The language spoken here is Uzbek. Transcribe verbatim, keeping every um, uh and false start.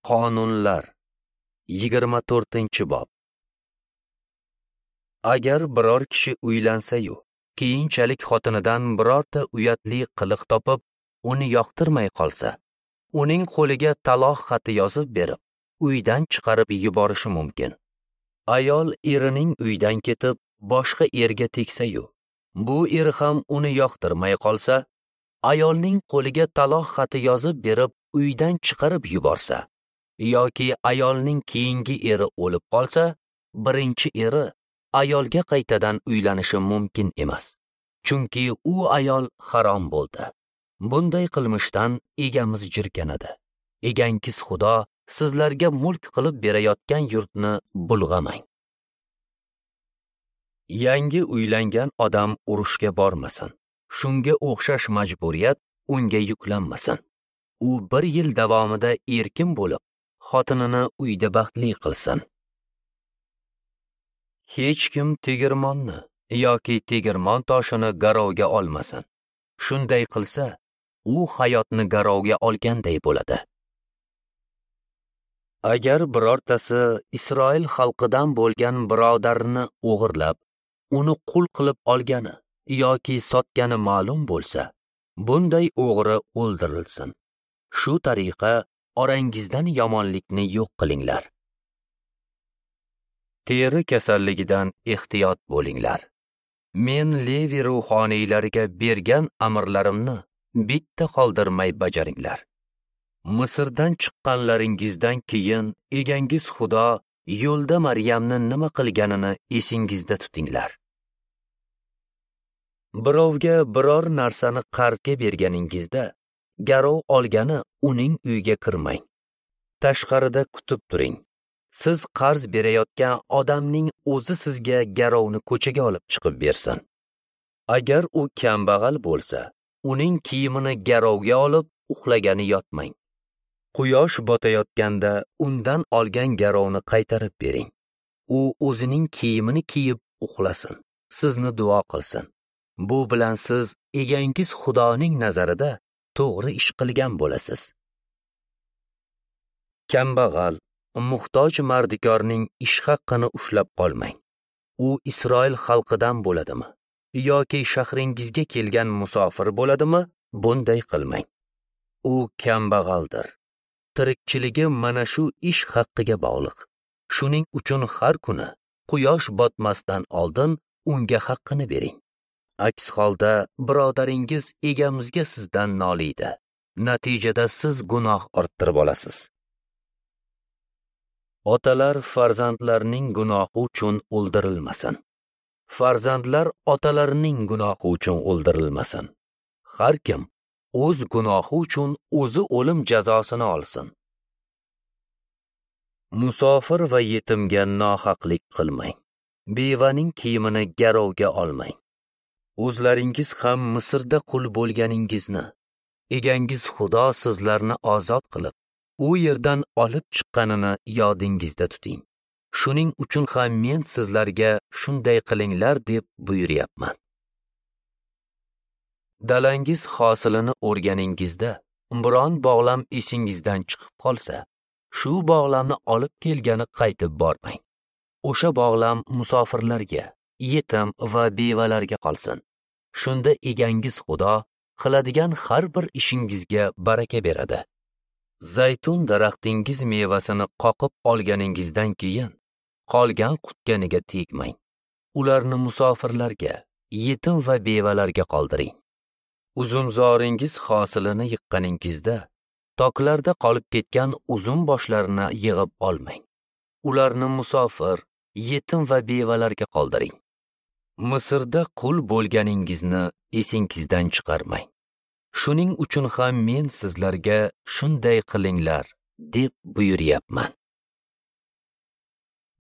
Qonunlar yigirma to'rtinchi bob. Agar biror kishi uylansa-yu, keyinchalik xotinidan birorta uyatli qiliq topib, uni yoqtirmay qolsa, uning qo'liga taloq xati yozib berib, uydan chiqarib yuborishi mumkin. Ayol erining uydan ketib, boshqa erga tegsa-yu, bu er ham uni yoqtirmay qolsa, ayolning qo'liga taloq xati yozib berib, uydan chiqarib yuborsa, yoki ayolning keyingi eri o'lib qolsa, birinchi eri ayolga qaytadan uylanishi mumkin emas. Chunki u ayol harom bo'ldi. Bunday qilmishdan egamiz jirkanadi. Egangiz Xudo sizlarga mulk qilib berayotgan yurtni bulg'amang. Yangi uylangan odam urushga bormasin. Shunga o'xshash majburiyat unga yuklanmasin. U bir yil davomida erkin bo'lib, xotinini uyda baxtli qilsin. Hech kim tegirmonni yoki tegirmon toshini garovga olmasin. Shunday qilsa, u hayotni garovga olganday bo'ladi. Agar birortasi Isroil xalqidan bo'lgan birodarini o'g'irlab, uni qul qilib olgani yoki sotgani ma'lum bo'lsa, bunday o'g'ri o'ldirilsin. Shu tariqa orangizdan yomonlikni yo'q qilinglar. Teri kasalligidan ehtiyot bo'linglar. Men Levi ruhoniylariga bergan amrlarimni bitta qoldirmay bajaringlar. Misrdan chiqqanlaringizdan keyin egangiz Xudo yo'lda Maryamni nima qilganini esingizda tutinglar. Birovga biror narsani qarzga berganingizda garov olgani uning uyiga kirmang. Tashqarida kutib turing. Siz qarz berayotgan odamning o'zi sizga garovni ko'chaga olib chiqib bersin. Agar u kambag'al bo'lsa, uning kiyimini garovga olib, uxlagani yotmang. Quyosh botayotganda undan olgan garovni qaytarib bering. U o'zining kiyimini kiyib uxlasin, sizni duo qilsin. Bu bilan siz egangiz Xudoning nazarida to'g'ri ish qilgan bo'lasiz. Kambag'al, muhtoj mardikorning ish haqqini ushlab qolmang. U Isroil xalqidan bo'ladimi yoki shahringizga kelgan musofir bo'ladimi, bunday qilmang. U kambag'aldir. Tirikchiligi mana shu ish haqqiga bog'liq. Shuning uchun har kuni quyosh botmasdan oldin unga haqqini bering. Aks holda birodaringiz egamizga sizdan noliydi. Natijada siz gunoh orttirib olasiz. Otalar farzandlarning gunohi uchun o'ldirilmasin. Farzandlar otalarining gunohi uchun o'ldirilmasin. Har kim o'z gunohi uchun o'zi o'lim jazosini olsin. Musofir va yetimga nohaqlik qilmang. Bevaning kiyimini garovga olmang. O'zlaringiz ham Misrda qul bo'lganingizni, egangiz Xudo sizlarni ozod qilib, u yerdan olib chiqqanini yodingizda tuting. Shuning uchun ham men sizlarga shunday qilinglar deb buyuryapman. Dalangiz hosilini o'rganingizda biron bog'lam esingizdan chiqib qolsa, shu bog'lamni olib kelgani qaytib bormang. O'sha bog'lam musofirlarga, yetim va bevalarga qolsin. Shunda egangiz Xudo qiladigan har bir ishingizga baraka beradi. Zaytun daraxtingiz mevasini qoqib olganingizdan keyin qolgan qutganiga tegmang. Ularni musofirlarga, yetim va bevalarga qoldiring. Uzumzoringiz hosilini yiqqaningizda toklarda qolib ketgan uzum boshlarini yig'ib olmang. Ularni musofir, yetim va bevalarga qoldiring. Misrda qul bo'lganingizni esingizdan chiqarmang. Shuning uchun ham men sizlarga shunday qilinglar deb buyuryapman.